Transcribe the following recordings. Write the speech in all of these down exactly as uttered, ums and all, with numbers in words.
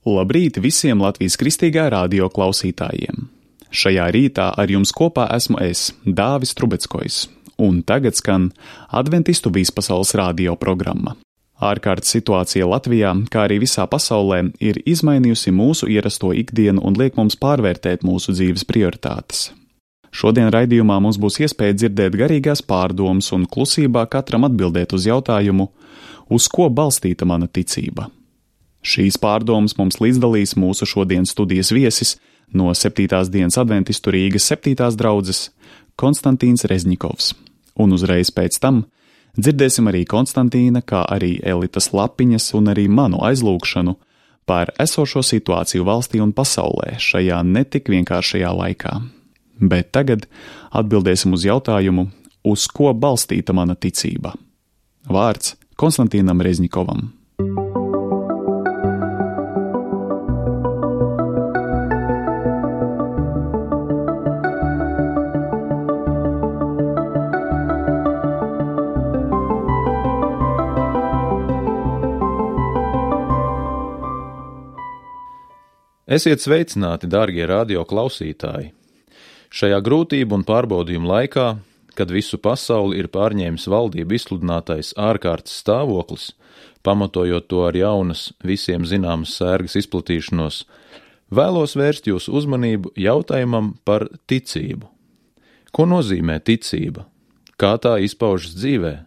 Labrīt visiem Latvijas Kristīgā radio klausītājiem! Šajā rītā ar jums kopā esmu es, Dāvis Trubeckojs, un tagad skan Adventistu vispasaules radio programma. Ārkārtas situācija Latvijā, kā arī visā pasaulē, ir izmainījusi mūsu ierasto ikdienu un liek mums pārvērtēt mūsu dzīves prioritātes. Šodien raidījumā mums būs iespēja dzirdēt garīgās pārdomas un klusībā katram atbildēt uz jautājumu, uz ko balstīta mana ticība. Šīs pārdomas mums līdzdalīs mūsu šodienas studijas viesis no septītās dienas adventistu Rīgas septītās draudzes Konstantīns Rezņikovs, un uzreiz pēc tam dzirdēsim arī Konstantīna, kā arī Elitas Lapiņas un arī manu aizlūgšanu par esošo situāciju valstī un pasaulē šajā netik vienkāršajā laikā. Bet tagad atbildēsim uz jautājumu, uz ko balstīta mana ticība. Vārds Konstantīnam Rezņikovam. Esiet sveicināti, dārgie radio klausītāji! Šajā grūtību un pārbaudījumu laikā, kad visu pasauli ir pārņēmis valdību izsludinātais ārkārtas stāvoklis, pamatojot to ar jaunas, visiem zināmas sērgas izplatīšanos, vēlos vērst jūsu uzmanību jautājumam par ticību. Ko nozīmē ticība? Kā tā izpaužas dzīvē?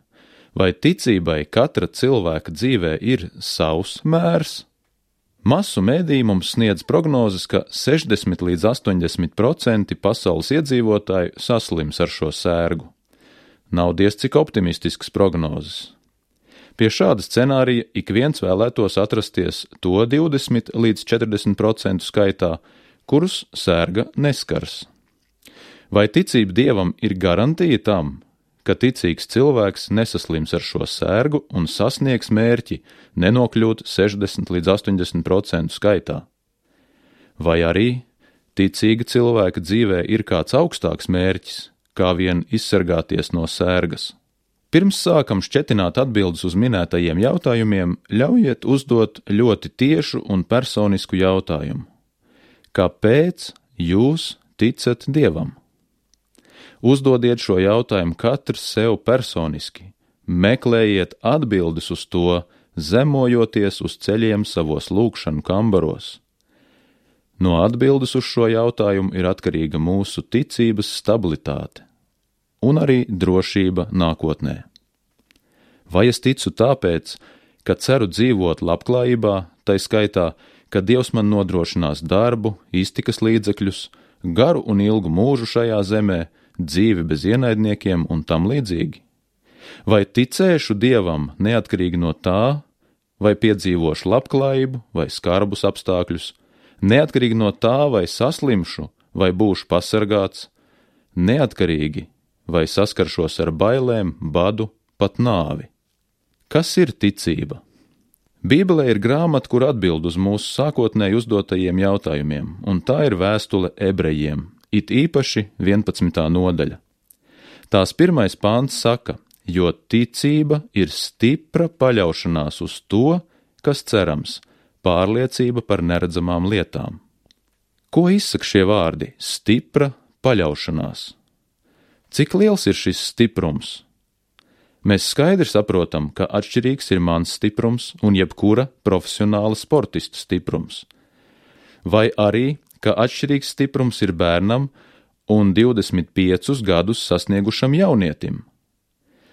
Vai ticībai katra cilvēka dzīvē ir savs mērs? Masu mediji mums sniedz prognozes, ka sešdesmit līdz astoņdesmit procenti pasaules iedzīvotāju saslims ar šo sērgu. Nav diez cik optimistisks prognozes. Pie šāda scenārija ik viens vēlētos atrasties to divdesmit līdz četrdesmit procentu skaitā, kurus sērga neskars. Vai ticība Dievam ir garantija tam, ka ticīgs cilvēks nesaslims ar šo sērgu un sasniegs mērķi nenokļūt sešdesmit līdz astoņdesmit procentu skaitā? Vai arī ticīga cilvēka dzīvē ir kāds augstāks mērķis, kā vien izsargāties no sērgas? Pirms sākam šķetināt atbildes uz minētajiem jautājumiem, ļaujiet uzdot ļoti tiešu un personisku jautājumu. Kāpēc jūs ticat Dievam? Uzdodiet šo jautājumu katrs sev personiski, meklējiet atbildes uz to, zemojoties uz ceļiem savos lūgšanu kambaros. No atbildes uz šo jautājumu ir atkarīga mūsu ticības stabilitāte un arī drošība nākotnē. Vai es ticu tāpēc, ka ceru dzīvot labklājībā, tai skaitā, ka Dievs man nodrošinās darbu, iztikas līdzekļus, garu un ilgu mūžu šajā zemē, dzīvi bez ienaidniekiem un tam līdzīgi? Vai ticēšu Dievam neatkarīgi no tā, vai piedzīvošu labklājību vai skarbus apstākļus, neatkarīgi no tā, vai saslimšu vai būšu pasargāts, neatkarīgi vai saskaršos ar bailēm, badu, pat nāvi? Kas ir ticība? Bībelē ir grāmata, kur atbild uz mūsu sākotnēji uzdotajiem jautājumiem, un tā ir vēstule ebrejiem, it īpaši vienpadsmitā nodaļa. Tās pirmais pāns saka, jo ticība ir stipra paļaušanās uz to, kas cerams, pārliecība par neredzamām lietām. Ko izsaka šie vārdi? Stipra paļaušanās. Cik liels ir šis stiprums? Mēs skaidri saprotam, ka atšķirīgs ir mans stiprums un jebkura profesionāla sportista stiprums. Vai arī ka atšķirīgs stiprums ir bērnam un divdesmit piecus gadus sasniegušam jaunietim.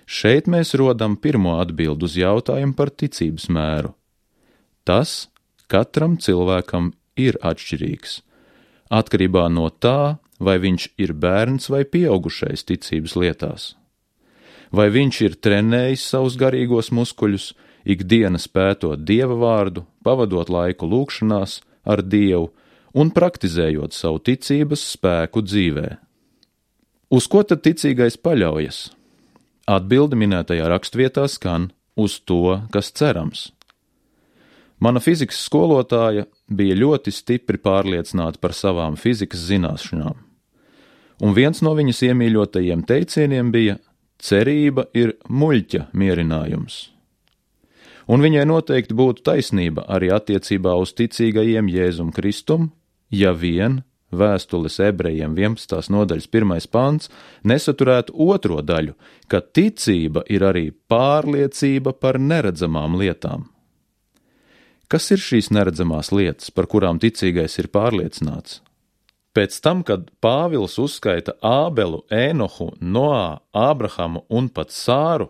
Šeit mēs rodam pirmo atbildu uz jautājumu par ticības mēru. Tas katram cilvēkam ir atšķirīgs, atkarībā no tā, vai viņš ir bērns vai pieaugušais ticības lietās. Vai viņš ir trenējis savus garīgos muskuļus, ikdienas pētot Dieva vārdu, pavadot laiku lūgšanās ar Dievu, un praktizējot savu ticības spēku dzīvē. Uz ko tad ticīgais paļaujas? Atbilde minētajā rakstvietā skan uz to, kas cerams. Mana fizikas skolotāja bija ļoti stipri pārliecināta par savām fizikas zināšanām, un viens no viņas iemīļotajiem teicieniem bija: cerība ir muļķa mierinājums. Un viņai noteikti būtu taisnība arī attiecībā uz ticīgajiem Jēzum Kristum, ja vien vēstules ebrejiem vienpadsmitās nodaļas pirmais pants nesaturētu otro daļu, ka ticība ir arī pārliecība par neredzamām lietām. Kas ir šīs neredzamās lietas, par kurām ticīgais ir pārliecināts? Pēc tam, kad Pāvils uzskaita Ābelu, Ēnohu, Noā, Ābrahamu un pat Sāru,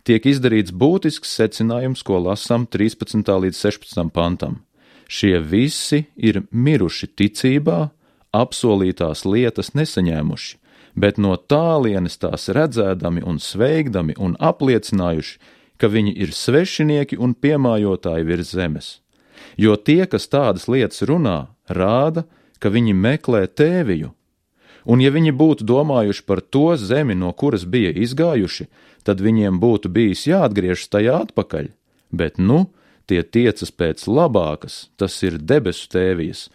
tiek izdarīts būtisks secinājums, ko lasām trīspadsmitā līdz sešpadsmitam pantam. Šie visi ir miruši ticībā, apsolītās lietas nesaņēmuši, bet no tālienes tās redzēdami un sveigdami un apliecinājuši, ka viņi ir svešinieki un piemājotāji virs zemes. Jo tie, kas tādas lietas runā, rāda, ka viņi meklē tēviju. Un ja viņi būtu domājuši par to zemi, no kuras bija izgājuši, tad viņiem būtu bijis jāatgriežas tajā atpakaļ, bet nu, tie tiecas pēc labākas, tas ir debesu tēvijas,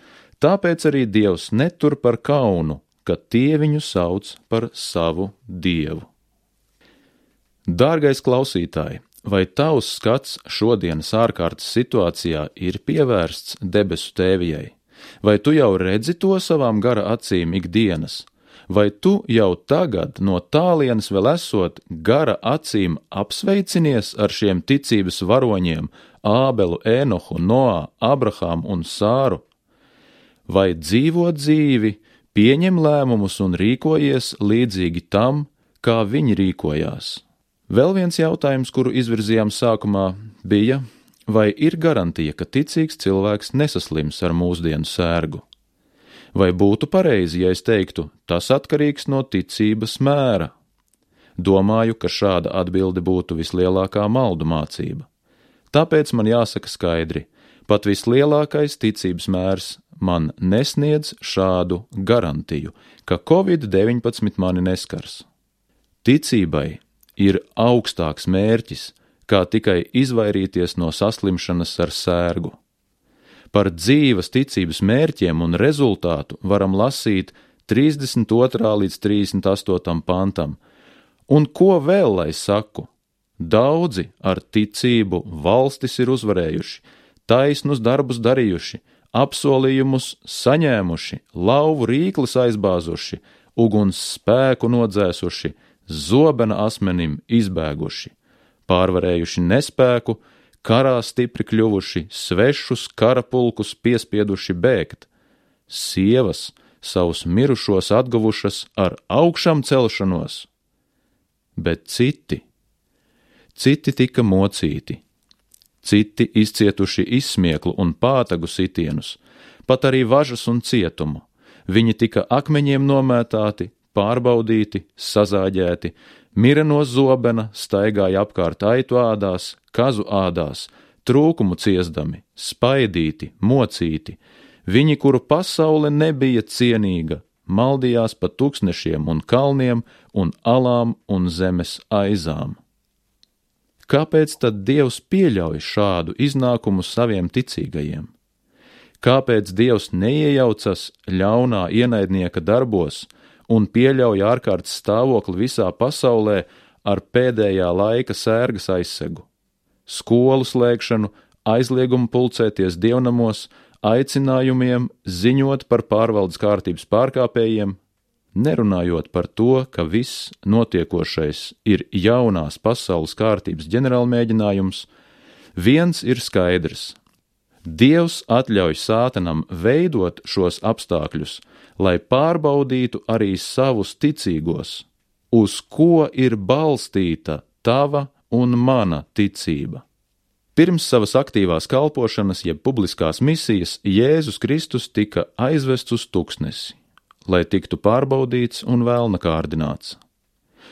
tāpēc arī Dievs netur par kaunu, ka tie viņu sauc par savu Dievu. Dārgais klausītāj, vai tavs skats šodienas ārkārtas situācijā ir pievērsts debesu tēvijai? Vai tu jau redzi to savām gara acīm ikdienas? Vai tu jau tagad no tālienes vēl esot gara acīm apsveicinies ar šiem ticības varoņiem Ābelu, Ēnohu, Noā, Abrahamu un Sāru? Vai dzīvo dzīvi, pieņem lēmumus un rīkojies līdzīgi tam, kā viņi rīkojās? Vēl viens jautājums, kuru izvirzījām sākumā, bija, vai ir garantija, ka ticīgs cilvēks nesaslims ar mūsdienu sērgu? Vai būtu pareizi, ja es teiktu, tas atkarīgs no ticības mēra? Domāju, ka šāda atbilde būtu vislielākā maldu mācība. Tāpēc man jāsaka skaidri, pat vislielākais ticības mērs man nesniedz šādu garantiju, ka covid deviņpadsmit mani neskars. Ticībai ir augstāks mērķis, kā tikai izvairīties no saslimšanas ar sērgu. Par dzīves ticības mērķiem un rezultātu varam lasīt trīsdesmit otrā līdz trīsdesmit astotam pantam. Un ko vēl lai saku? Daudzi ar ticību valstis ir uzvarējuši, taisnus darbus darījuši, apsolījumus saņēmuši, lauvu rīklis aizbāzuši, uguns spēku nodzēsuši, zobena asmenim izbēguši, pārvarējuši nespēku, karā stipri kļuvuši, svešus karapulkus piespieduši bēgt, sievas savus mirušos atguvušas ar augšām celšanos, bet citi, citi tika mocīti, citi izcietuši izsmieklu un pātagu sitienus, pat arī važas un cietumu, viņi tika akmeņiem nomētāti, pārbaudīti, sazāģēti, mira no zobena, staigāja apkārt aitu ādās, kazu ādās, trūkumu ciesdami, spaidīti, mocīti, viņi, kuru pasaule nebija cienīga, maldījās pa tūkstnešiem un kalniem un alām un zemes aizām. Kāpēc tad Dievs pieļauj šādu iznākumu saviem ticīgajiem? Kāpēc Dievs neiejaucas ļaunā ienaidnieka darbos un pieļauj ārkārtas stāvokli visā pasaulē ar pēdējā laika sērgas aizsegu, skolu slēgšanu, aizliegumu pulcēties dievnamos, aicinājumiem ziņot par pārvaldes kārtības pārkāpējiem, nerunājot par to, ka viss notiekošais ir jaunās pasaules kārtības ģenerālmēģinājums, viens ir skaidrs. Dievs atļauj sātanam veidot šos apstākļus, lai pārbaudītu arī savus ticīgos, uz ko ir balstīta tava un mana ticība. Pirms savas aktīvās kalpošanas, jeb publiskās misijas, Jēzus Kristus tika aizvests uz tuksnesi, lai tiktu pārbaudīts un vēlna kārdināts.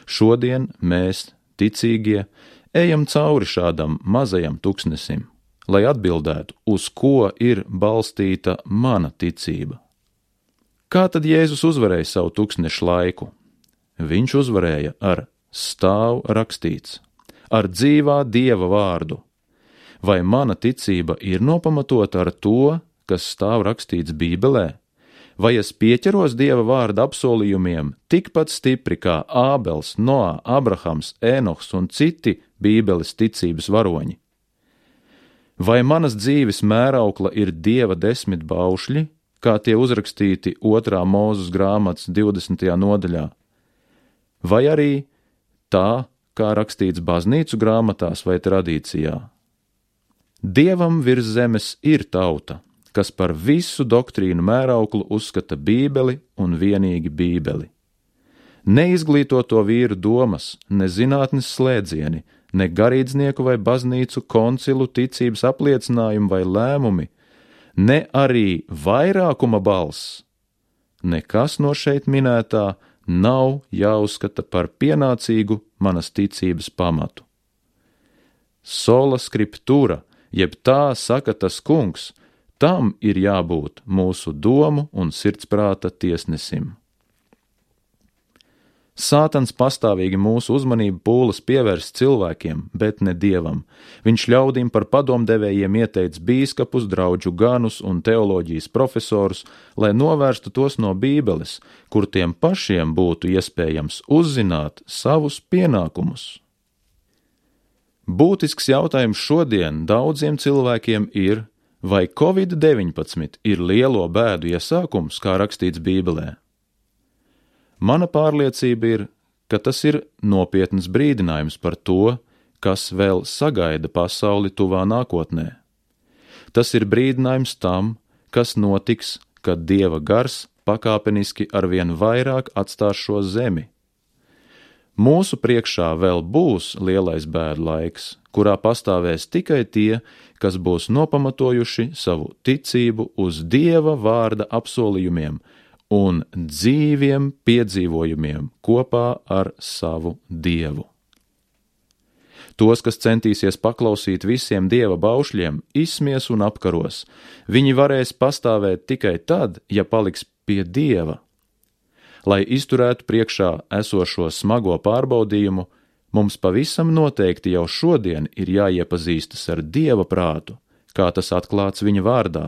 Šodien mēs, ticīgie, ejam cauri šādam mazajam tuksnesim, lai atbildētu, uz ko ir balstīta mana ticība. Kā tad Jēzus uzvarēja savu tuksnešu laiku? Viņš uzvarēja ar stāv rakstīts, ar dzīvā Dieva vārdu. Vai mana ticība ir nopamatota ar to, kas stāv rakstīts Bībelē? Vai es pieķeros Dieva vārda apsolījumiem tikpat stipri kā Ābels, Noā, Abrahams, Ēnohs un citi Bībeles ticības varoņi? Vai manas dzīves mēraukla ir Dieva desmit baušļi, kā tie uzrakstīti otrā Mūzes grāmatas divdesmitajā nodaļā? Vai arī tā, kā rakstīts baznīcu grāmatās vai tradīcijā? Dievam virs zemes ir tauta, kas par visu doktrīnu mērauklu uzskata Bībeli un vienīgi Bībeli. Neizglītoto vīru domas, ne zinātnes slēdzieni, ne garīdznieku vai baznīcu koncilu ticības apliecinājumu vai lēmumi, ne arī vairākuma balss, nekas no šeit minētā nav jāuzskata par pienācīgu manas ticības pamatu. Sola scriptura, jeb tā saka tas kungs, tam ir jābūt mūsu domu un sirdsprāta tiesnesim. Sātans pastāvīgi mūsu uzmanību pūlas pievērst cilvēkiem, bet ne Dievam. Viņš ļaudīm par padomdevējiem ieteic bīskapus, draudžu ganus un teoloģijas profesorus, lai novērstu tos no Bībeles, kur tiem pašiem būtu iespējams uzzināt savus pienākumus. Būtisks jautājums šodien daudziem cilvēkiem ir, vai covid deviņpadsmit ir lielo bēdu iesākums, kā rakstīts Bībelē? Mana pārliecība ir, ka tas ir nopietns brīdinājums par to, kas vēl sagaida pasauli tuvā nākotnē. Tas ir brīdinājums tam, kas notiks, kad Dieva gars pakāpeniski arvien vairāk atstās šo zemi. Mūsu priekšā vēl būs lielais bēdu laiks, kurā pastāvēs tikai tie, kas būs nopamatojuši savu ticību uz Dieva vārda apsolījumiem un dzīviem piedzīvojumiem kopā ar savu Dievu. Tos, kas centīsies paklausīt visiem Dieva baušļiem, izsmies un apkaros. Viņi varēs pastāvēt tikai tad, ja paliks pie Dieva. Lai izturētu priekšā esošo smago pārbaudījumu, mums pavisam noteikti jau šodien ir jāiepazīstas ar Dieva prātu, kā tas atklāts viņa vārdā.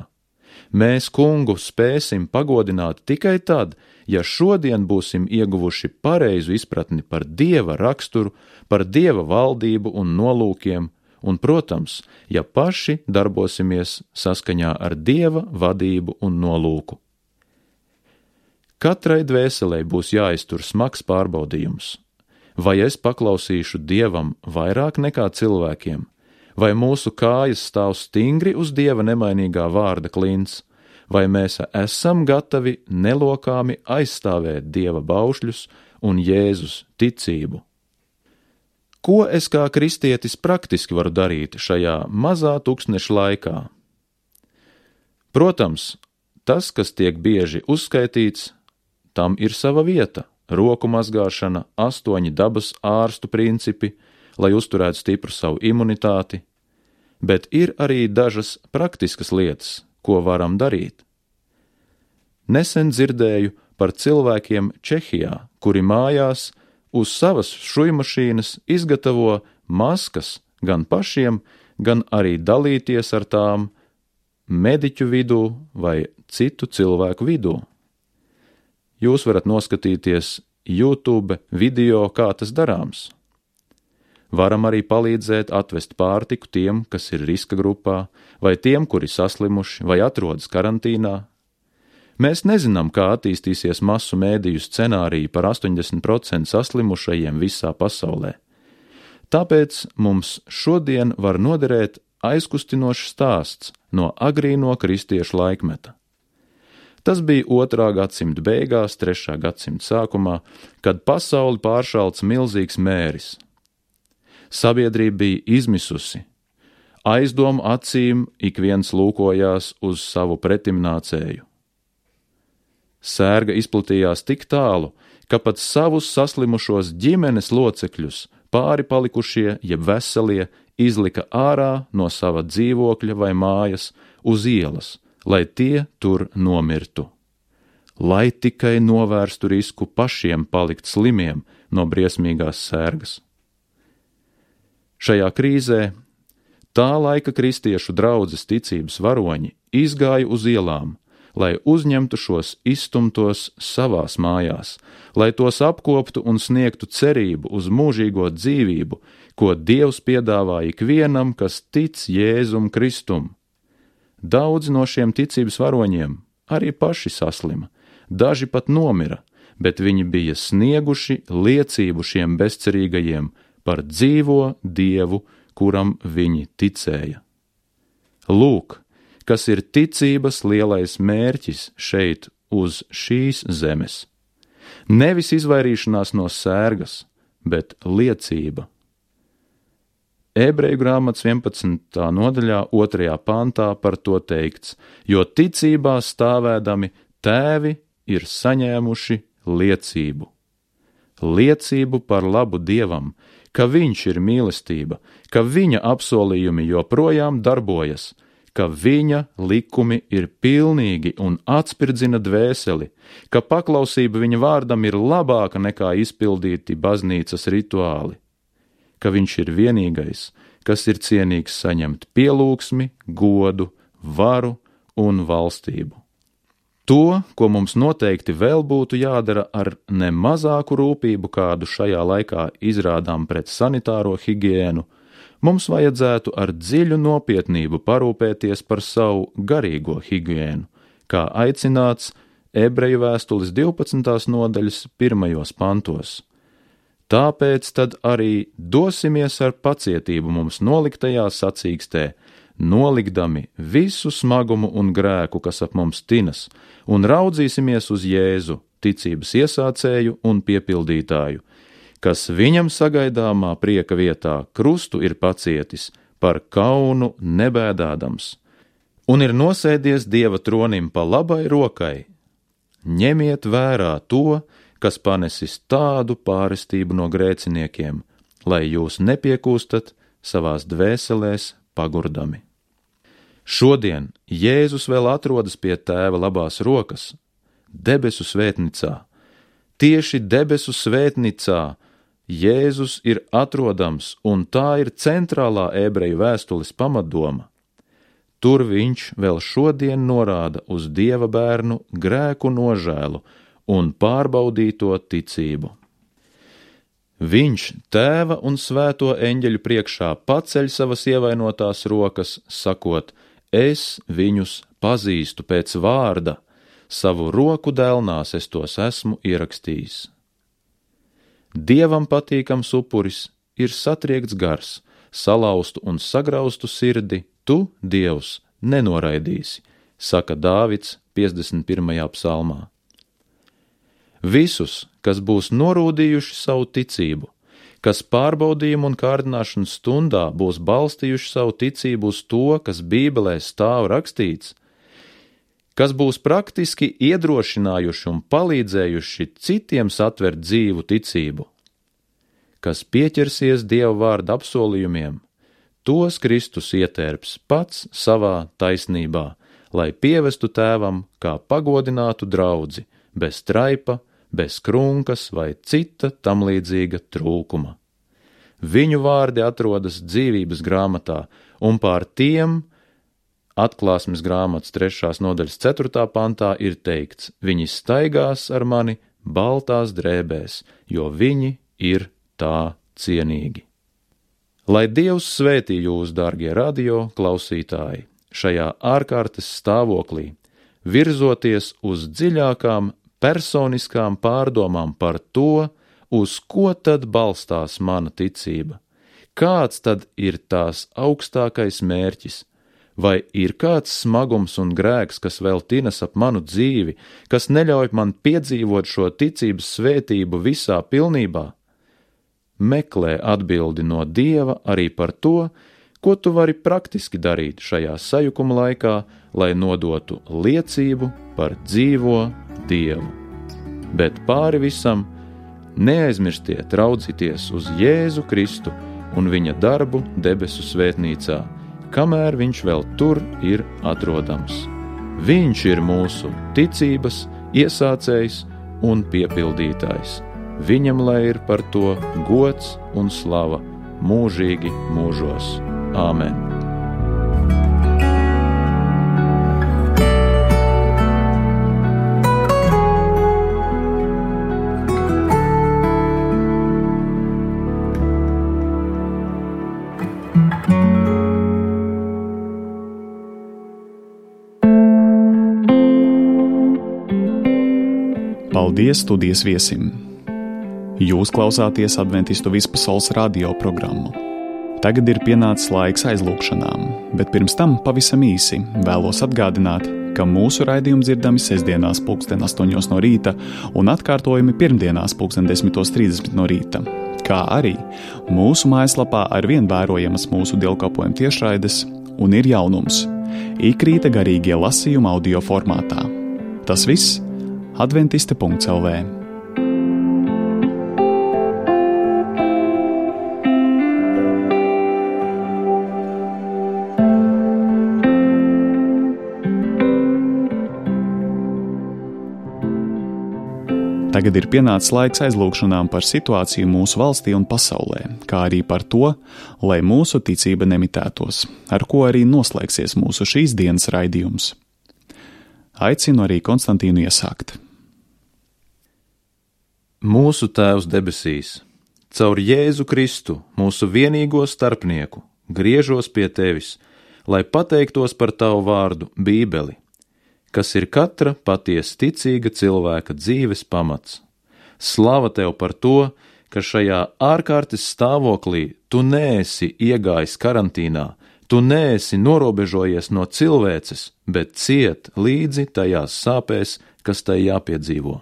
Mēs kungu spēsim pagodināt tikai tad, ja šodien būsim ieguvuši pareizu izpratni par Dieva raksturu, par Dieva valdību un nolūkiem, un, protams, ja paši darbosimies saskaņā ar Dieva vadību un nolūku. Katrai dvēselei būs jāiztur smags pārbaudījums. Vai es paklausīšu Dievam vairāk nekā cilvēkiem? Vai mūsu kājas stāv stingri uz Dieva nemainīgā vārda klints, vai mēs esam gatavi nelokāmi aizstāvēt Dieva baušļus un Jēzus ticību? Ko es kā kristietis praktiski varu darīt šajā mazā tūkstneša laikā? Protams, tas, kas tiek bieži uzskaitīts, tam ir sava vieta – roku mazgāšana, astoņi dabas ārstu principi, lai uzturētu stipru savu imunitāti, bet ir arī dažas praktiskas lietas, ko varam darīt. Nesen dzirdēju par cilvēkiem Čehijā, kuri mājās uz savas šujmašīnas izgatavo maskas gan pašiem, gan arī dalīties ar tām mediķu vidū vai citu cilvēku vidū. Jūs varat noskatīties YouTube video, kā tas darāms. Varam arī palīdzēt atvest pārtiku tiem, kas ir riska grupā, vai tiem, kuri saslimuši vai atrodas karantīnā. Mēs nezinām, kā attīstīsies masu mēdīju scenāriji par astoņdesmit procenti saslimušajiem visā pasaulē. Tāpēc mums šodien var noderēt aizkustinošs stāsts no agrīno kristiešu laikmeta. Tas bija otrā gadsimta beigās, trešā gadsimta sākumā, kad pasauli pāršalts milzīgs mēris. Sabiedrība bija izmisusi. Aizdomu acīm ik viens lūkojās uz savu pretimnācēju. Sērga izplatījās tik tālu, ka pat savus saslimušos ģimenes locekļus pāri palikušie, jeb veselie, izlika ārā no sava dzīvokļa vai mājas uz ielas, lai tie tur nomirtu. Lai tikai novērstu risku pašiem palikt slimiem no briesmīgās sērgas. Šajā krīzē tā laika kristiešu draudzes ticības varoņi izgāja uz ielām, lai uzņemtu šos izstumtos savās mājās, lai tos apkoptu un sniegtu cerību uz mūžīgo dzīvību, ko Dievs piedāvā ikvienam, kas tic Jēzum Kristum. Daudzi no šiem ticības varoņiem arī paši saslima, daži pat nomira, bet viņi bija snieguši liecību šiem bezcerīgajiem par dzīvo Dievu, kuram viņi ticēja. Lūk, kas ir ticības lielais mērķis šeit uz šīs zemes. Nevis izvairīšanās no sērgas, bet liecība. Ebreju grāmatas vienpadsmitā nodaļā otrajā pantā par to teikts, jo ticībā stāvēdami tēvi ir saņēmuši liecību. Liecību par labu Dievam, ka viņš ir mīlestība, ka viņa apsolījumi joprojām darbojas, ka viņa likumi ir pilnīgi un atspirdzina dvēseli, ka paklausība viņa vārdam ir labāka nekā izpildīti baznīcas rituāli, ka viņš ir vienīgais, kas ir cienīgs saņemt pielūgsmi, godu, varu un valstību. To, ko mums noteikti vēl būtu jādara ar ne mazāku rūpību, kādu šajā laikā izrādām pret sanitāro higiēnu, mums vajadzētu ar dziļu nopietnību parūpēties par savu garīgo higiēnu, kā aicināts Ebreju vēstules divpadsmitās nodaļas pirmajos pantos. Tāpēc tad arī dosimies ar pacietību mums noliktajā sacīkstē, nolikdami visu smagumu un grēku, kas ap mums tinas, un raudzīsimies uz Jēzu, ticības iesācēju un piepildītāju, kas viņam sagaidāmā prieka vietā krustu ir pacietis, par kaunu nebēdādams, un ir nosēdies Dieva tronim pa labai rokai. Ņemiet vērā to, kas panesis tādu pārestību no grēciniekiem, lai jūs nepiekūstat savās dvēselēs pagurdami. Šodien Jēzus vēl atrodas pie Tēva labās rokas, debesu svētnicā. Tieši debesu svētnicā Jēzus ir atrodams, un tā ir centrālā ebreju vēstules pamatdoma. Tur viņš vēl šodien norāda uz Dieva bērnu grēku nožēlu un pārbaudīto ticību. Viņš Tēva un svēto eņģeļu priekšā paceļ savas ievainotās rokas, sakot, es viņus pazīstu pēc vārda, savu roku dēlnās es tos esmu ierakstījis. Dievam patīkams upuris ir satriekts gars, salauztu un sagraustu sirdi, tu, Dievs, nenoraidīsi, saka Dāvids piecdesmit pirmajā psalmā. Visus, kas būs norūdījuši savu ticību, kas pārbaudījumu un kārdināšanas stundā būs balstījuši savu ticību uz to, kas Bībelē stāv rakstīts, kas būs praktiski iedrošinājuši un palīdzējuši citiem satvert dzīvu ticību, kas pieķersies Dieva vārda apsolījumiem, tos Kristus ietērps pats savā taisnībā, lai pievestu Tēvam kā pagodinātu draudzi, bez traipa, bez krunkas vai cita tamlīdzīga trūkuma. Viņu vārdi atrodas dzīvības grāmatā, un pār tiem Atklāsmes grāmatas trešās nodaļas ceturtā pantā ir teikts, viņi staigās ar mani baltās drēbēs, jo viņi ir tā cienīgi. Lai Dievs svētī jūs, dārgie radio klausītāji, šajā ārkārtas stāvoklī, virzoties uz dziļākām personiskām pārdomām par to, uz ko tad balstās mana ticība, kāds tad ir tās augstākais mērķis, vai ir kāds smagums un grēks, kas vēl tinas ap manu dzīvi, kas neļauj man piedzīvot šo ticības svētību visā pilnībā? Meklē atbildi no Dieva arī par to, ko tu vari praktiski darīt šajā sajukuma laikā, lai nodotu liecību par dzīvo Dievu. Bet pāri visam neaizmirstiet raudzīties uz Jēzu Kristu un viņa darbu debesu svētnīcā, kamēr viņš vēl tur ir atrodams. Viņš ir mūsu ticības iesācējs un piepildītājs. Viņam lai ir par to gods un slava mūžīgi mūžos. Āmen. Paldies studijas viesim! Jūs klausāties Adventistu vispasaules radio programmu. Tagad ir pienācis laiks aizlūgšanām, bet pirms tam pavisam īsi vēlos atgādināt, ka mūsu raidījumi dzirdami sestdienās pulksten astoņos no rīta un atkārtojumi pirmdienās pulksten desmitos trīsdesmit no rīta, kā arī mūsu mājaslapā arvien vērojamas mūsu dievkalpojuma tiešraides un ir jaunums – ikrīta garīgie lasījumi audio formātā. Tas viss adventiste punkts el vē. Tagad ir pienācis laiks aizlūgšanām par situāciju mūsu valstī un pasaulē, kā arī par to, lai mūsu ticība nemitētos, ar ko arī noslēgsies mūsu šīs dienas raidījums. Aicinu arī Konstantīnu iesākt. Mūsu Tēvs debesīs, caur Jēzu Kristu, mūsu vienīgo starpnieku, griežos pie Tevis, lai pateiktos par Tavu vārdu Bībeli, kas ir katra patiesi ticīga cilvēka dzīves pamats. Slava Tev par to, ka šajā ārkārtas stāvoklī Tu neesi iegājis karantīnā, Tu neesi norobežojies no cilvēces, bet ciet līdzi tajās sāpēs, kas tai jāpiedzīvo.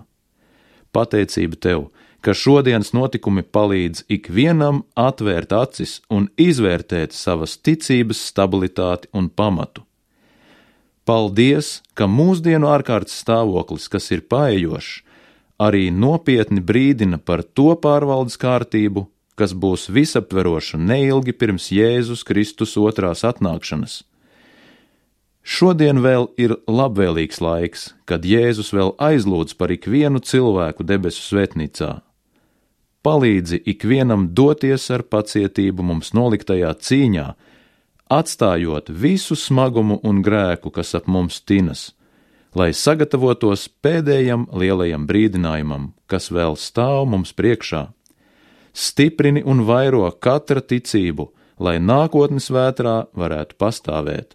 Pateicība Tev, ka šodienas notikumi palīdz ikvienam atvērt acis un izvērtēt savas ticības stabilitāti un pamatu. Paldies, ka mūsdienu ārkārtas stāvoklis, kas ir paejošs, arī nopietni brīdina par to pārvaldes kārtību, kas būs visaptveroša neilgi pirms Jēzus Kristus otrās atnākšanas. Šodien vēl ir labvēlīgs laiks, kad Jēzus vēl aizlūdz par ikvienu cilvēku debesu svētnīcā. Palīdzi ikvienam doties ar pacietību mums noliktajā cīņā, atstājot visu smagumu un grēku, kas ap mums tinas, lai sagatavotos pēdējam lielajam brīdinājumam, kas vēl stāv mums priekšā. Stiprini un vairo katra ticību, lai nākotnes vētrā varētu pastāvēt,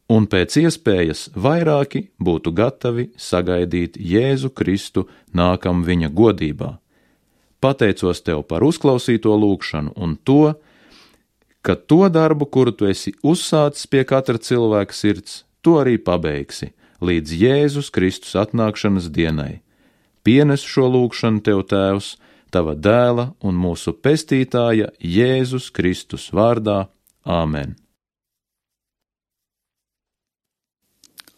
un pēc iespējas vairāki būtu gatavi sagaidīt Jēzu Kristu nākam viņa godībā. Pateicos Tev par uzklausīto lūgšanu un to, ka to darbu, kuru Tu esi uzsācis pie katra cilvēka sirds, Tu arī pabeigsi līdz Jēzus Kristus atnākšanas dienai. Pienes šo lūgšanu Tev, Tēvs, Tava dēla un mūsu pestītāja Jēzus Kristus vārdā. Āmen.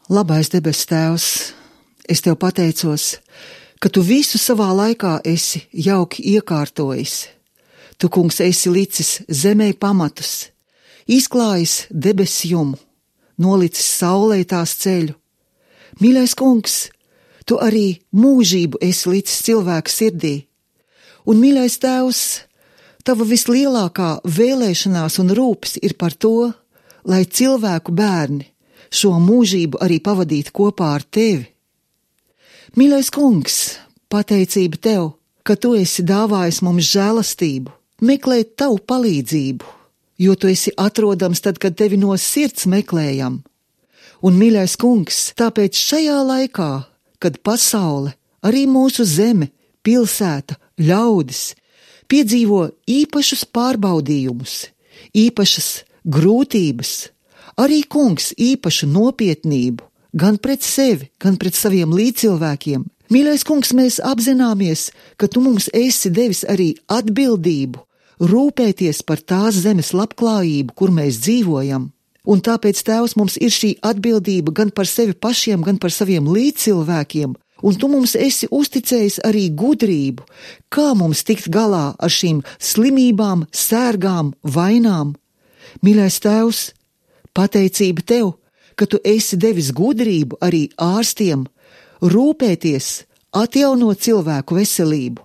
Labais debes Tēvs, es Tev pateicos, ka Tu visu savā laikā esi jauki iekārtojis. Tu, kungs, esi licis zemē pamatus, izklājis debes jumu, nolicis saulē tās ceļu. Mīļais kungs, Tu arī mūžību esi licis cilvēka sirdī. Un, mīļais Tēvs, Tava vislielākā vēlēšanās un rūpes ir par to, lai cilvēku bērni šo mūžību arī pavadīt kopā ar Tevi. Mīļais kungs, pateicība Tev, ka Tu esi dāvājis mums žēlastību, meklēt Tavu palīdzību, jo Tu esi atrodams tad, kad Tevi no sirds meklējam. Un, mīļais kungs, tāpēc šajā laikā, kad pasaule, arī mūsu zeme, pilsēta, ļaudis, piedzīvo īpašus pārbaudījumus, īpašas grūtības, arī, kungs, īpašu nopietnību, gan pret sevi, gan pret saviem līdzcilvēkiem. Mīļais kungs, mēs apzināmies, ka Tu mums esi devis arī atbildību, rūpēties par tās zemes labklājību, kur mēs dzīvojam. Un tāpēc, Tēvs, mums ir šī atbildība gan par sevi pašiem, gan par saviem līdzcilvēkiem, un Tu mums esi uzticējis arī gudrību, kā mums tikt galā ar šīm slimībām, sērgām, vainām. Mīļais Tēvs, pateicība Tev, ka Tu esi devis gudrību arī ārstiem, rūpēties, atjaunot cilvēku veselību.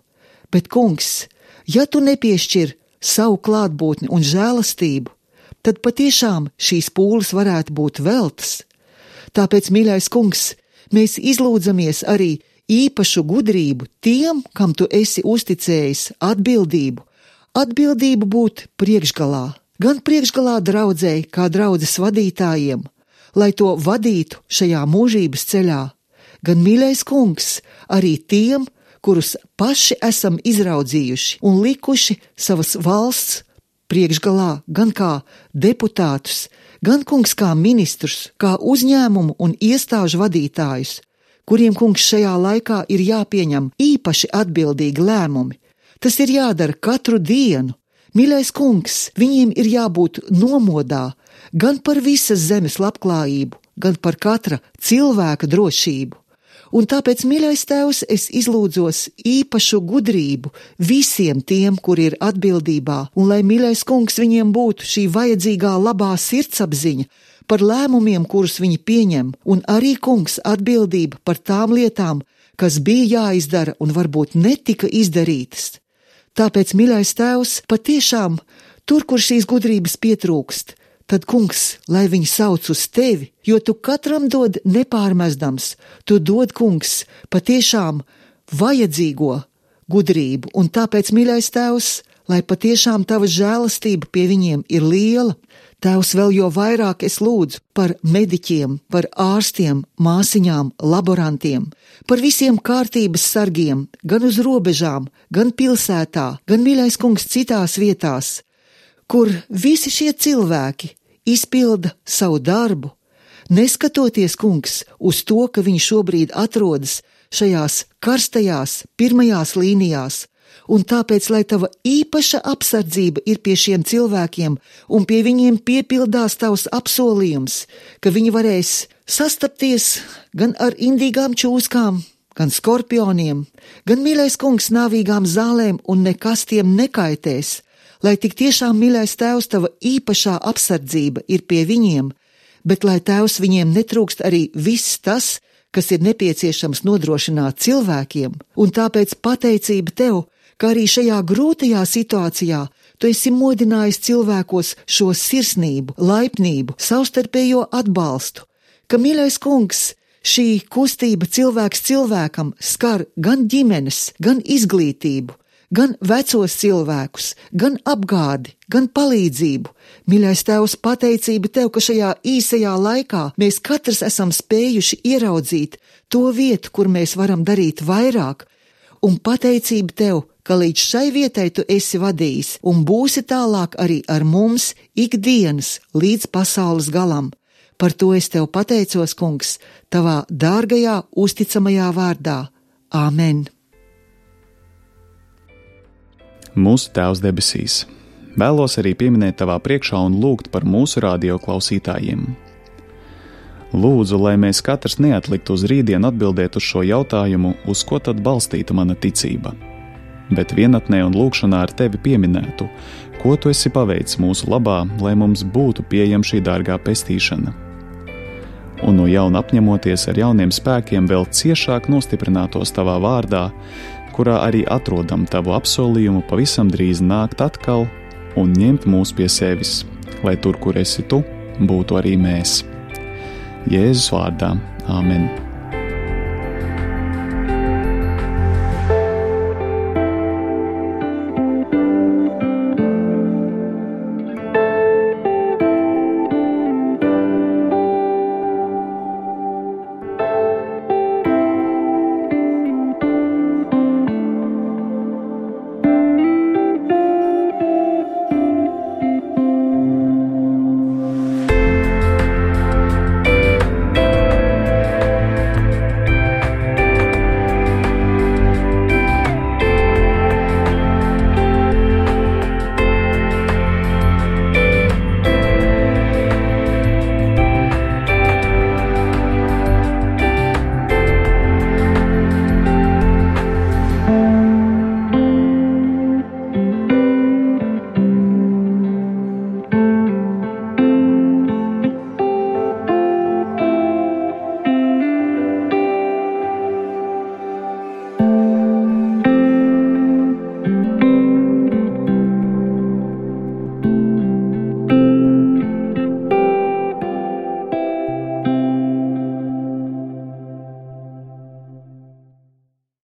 Bet, kungs, ja Tu nepiešķir savu klātbūtni un žēlastību, tad patiešām šīs pūles varētu būt veltas. Tāpēc, mīļais kungs, mēs izlūdzamies arī īpašu gudrību tiem, kam Tu esi uzticējis atbildību, atbildību būt priekšgalā. Gan priekšgalā draudzei, kā draudzes vadītājiem, lai to vadītu šajā mūžības ceļā, gan, mīļais kungs, arī tiem, kurus paši esam izraudzījuši un likuši savas valsts priekšgalā gan kā deputātus, gan, kungs, kā ministrus, kā uzņēmumu un iestāžu vadītājus, kuriem, kungs, šajā laikā ir jāpieņem īpaši atbildīgi lēmumi. Tas ir jādara katru dienu. Mīļais kungs, viņiem ir jābūt nomodā gan par visas zemes labklājību, gan par katra cilvēka drošību. Un tāpēc, mīļais Tēvs, es izlūdzos īpašu gudrību visiem tiem, kuri ir atbildībā, un lai, mīļais kungs, viņiem būtu šī vajadzīgā labā sirdsapziņa par lēmumiem, kurus viņi pieņem, un arī, kungs, atbildība par tām lietām, kas bija jāizdara un varbūt netika izdarītas. Tāpēc, mīļais Tēvs, patiešām tur, kur šīs gudrības pietrūkst, tad, kungs, lai viņi sauc uz tevi, jo tu katram dod nepārmestams, tu dod, kungs, patiešām vajadzīgo gudrību, un tāpēc, mīļais Tēvs, lai patiešām tava žēlastība pie viņiem ir liela. Tēvs, vēl jo vairāk es lūdzu par mediķiem, par ārstiem, māsiņām, laborantiem, par visiem kārtības sargiem, gan uz robežām, gan pilsētā, gan, mīļais kungs, citās vietās, kur visi šie cilvēki izpilda savu darbu, neskatoties, kungs, uz to, ka viņi šobrīd atrodas šajās karstajās pirmajās līnijās, un tāpēc, lai tava īpaša apsardzība ir pie šiem cilvēkiem un pie viņiem piepildās tavs apsolījums, ka viņi varēs sastapties gan ar indīgām čūskām, gan skorpioniem, gan, mīļais kungs, nāvīgām zālēm un nekas tiem nekaitēs, lai tik tiešām, mīļais Tēvs, tava īpašā apsardzība ir pie viņiem, bet lai, Tēvs, viņiem netrūkst arī viss tas, kas ir nepieciešams nodrošināt cilvēkiem, un tāpēc pateicība tev, ka arī šajā grūtajā situācijā tu esi modinājis cilvēkos šo sirsnību, laipnību, savstarpējo atbalstu, ka, mīļais kungs, šī kustība cilvēks cilvēkam skar gan ģimenes, gan izglītību, gan vecos cilvēkus, gan apgādi, gan palīdzību. Mīļais Tēvs, pateicība tev, ka šajā īsajā laikā mēs katrs esam spējuši ieraudzīt to vietu, kur mēs varam darīt vairāk, un pateicība tev, ka līdz šai vietai tu esi vadījis un būsi tālāk arī ar mums ikdienas līdz pasaules galam. Par to es tev pateicos, kungs, tavā dārgajā, uzticamajā vārdā. Āmen! Mūsu Tēvs debesīs, vēlos arī pieminēt tavā priekšā un lūgt par mūsu radio klausītājiem. Lūdzu, lai mēs katrs neatliktu uz rītdienu atbildēt uz šo jautājumu, uz ko tad balstīta mana ticība, bet vienatnē un lūgšanā ar tevi pieminētu, ko tu esi paveicis mūsu labā, lai mums būtu pieejama šī dārgā pestīšana. Un no jauna apņemoties ar jauniem spēkiem vēl ciešāk nostiprinātos tavā vārdā, kurā arī atrodam tavu apsolījumu pavisam drīz nākt atkal un ņemt mūs pie sevis, lai tur, kur esi tu, būtu arī mēs. Jēzus vārdā. Āmen.